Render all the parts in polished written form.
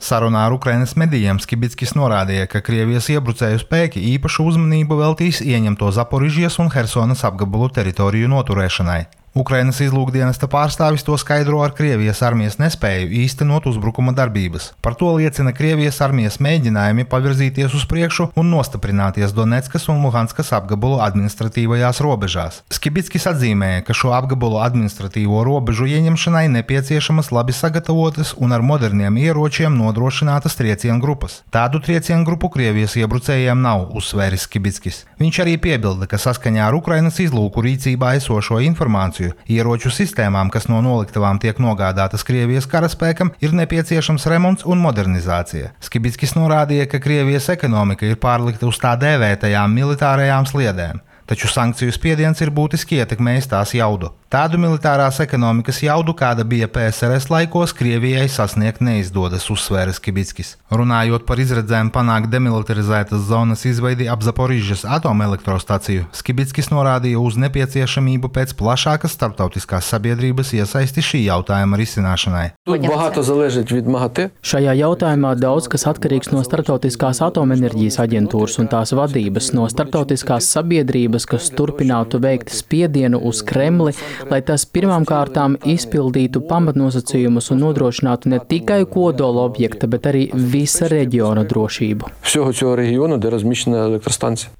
Sarunā ar Ukrainas medijiem Skibickis norādīja, ka Krievijas iebrucēju spēki īpašu uzmanību veltīs ieņemto Zaporižijas un Hersonas apgabalu teritoriju noturēšanai. Ukrainas izlūkdienesta pārstāvis to skaidro ar Krievijas armijas nespēju īstenot uzbrukuma darbības. Par to liecina Krievijas armijas mēģinājumi pavirzīties uz priekšu un nostiprināties Doneckas un Luhanskas apgabalu administratīvajās robežās. Skibickis atzīmēja, ka šo apgabalu administratīvo robežu ieņemšanai nepieciešamas labi sagatavotas un ar moderniem ieročiem nodrošinātas triecienu grupas. Tādu triecienu grupu Krievijas iebrucējiem nav, uzsvēris Skibickis. Viņš arī piebilda, ka saskaņā ar Ukrainas izlūku rīcībā esošo informāciju ieroču sistēmām, kas no noliktavām tiek nogādātas Krievijas karaspēkam, ir nepieciešams remonts un modernizācija. Skibickis norādīja, ka Krievijas ekonomika ir pārlikta uz tā dēvētajām militārajām sliedēm, taču sankciju spiediens ir būtiski ietekmējis tās jaudu. Tādu militārās ekonomikas jaudu, kāda bija PSRS laikos, Krievijai sasniegt neizdodas, uzsvēra Skibickis. Runājot par izredzēm panākt demilitarizētas zonas izveidi ap Zaporižas atomelektrostaciju, Skibickis norādīja uz nepieciešamību pēc plašākas starptautiskās sabiedrības iesaisti šī jautājuma risināšanai. Šajā jautājumā daudz kas atkarīgs no Starptautiskās atomenerģijas aģentūras un tās vadības, no starptautiskās sabiedrības, kas turpinātu veikt spiedienu uz Kremli, lai tas pirmām kārtām izpildītu pamatnosacījumus un nodrošinātu ne tikai kodola objekta, bet arī visa reģiona drošību.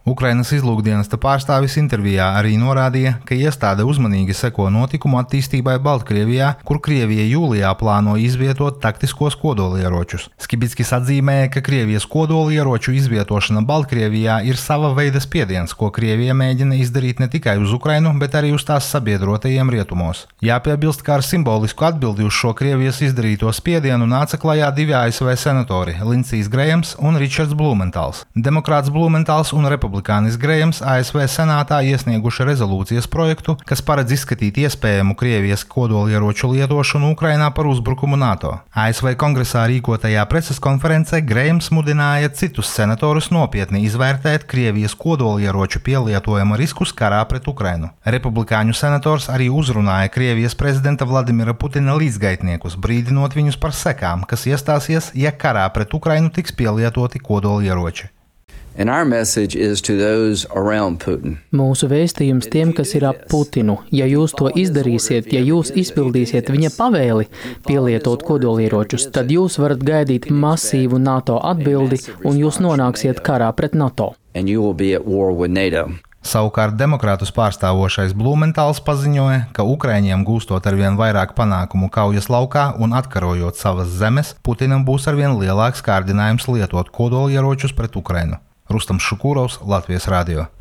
Ukrainas izlūkdienesta pārstāvis intervijā arī norādīja, ka iestāde uzmanīgi seko notikumu attīstībai Baltkrievijā, kur Krievija jūlijā plāno izvietot taktiskos kodolieročus. Skibickis atzīmēja, ka Krievijas kodolieroču izvietošana Baltkrievijā ir sava veida spiediens, ko Krievija mēģina izdarīt ne tikai uz Ukrainu, bet arī uz tās sabiedrotajiem rietumos. Jāpiebilst, ka ar simbolisku atbildi uz šo Krievijas izdarīto spiedienu nāca klajā divi ASV senatori – Lindsijs Grejams un Ričards Blumentāls. Demokrāts Blumentāls un republikānis Grejams ASV senātā iesnieguši rezolūcijas projektu, kas paredz izskatīt iespējamu Krievijas kodolieroču lietošanu Ukrainā par uzbrukumu NATO. ASV kongresā rīkotajā preses konferencē Grejams mudināja citus senatorus nopietni izvērtēt Krievijas kodolieroču pielietojuma riskus karā pret Ukrainu. Republikāņu senators arī uzrunāja Krievijas prezidenta Vladimira Putina līdzgaitniekus, brīdinot viņus par sekām, kas iestāsies, ja karā pret Ukrainu tiks pielietoti kodolieroči. Mūsu vēstījums tiem, kas ir ap Putinu, ja jūs to izdarīsiet, ja jūs izpildīsiet viņa pavēli pielietot kodolieročus, tad jūs varat gaidīt masīvu NATO atbildi un jūs nonāksiet karā pret NATO. Savukārt demokrātus pārstāvošais Blumentāls paziņoja, ka Ukraiņiem gūstot arvien vairāk panākumu kaujas laukā un atkarojot savas zemes, Putinam būs arvien lielāks kārdinājums lietot kodolieročus pret Ukrainu. Rustams Šukūrovs, Latvijas radio.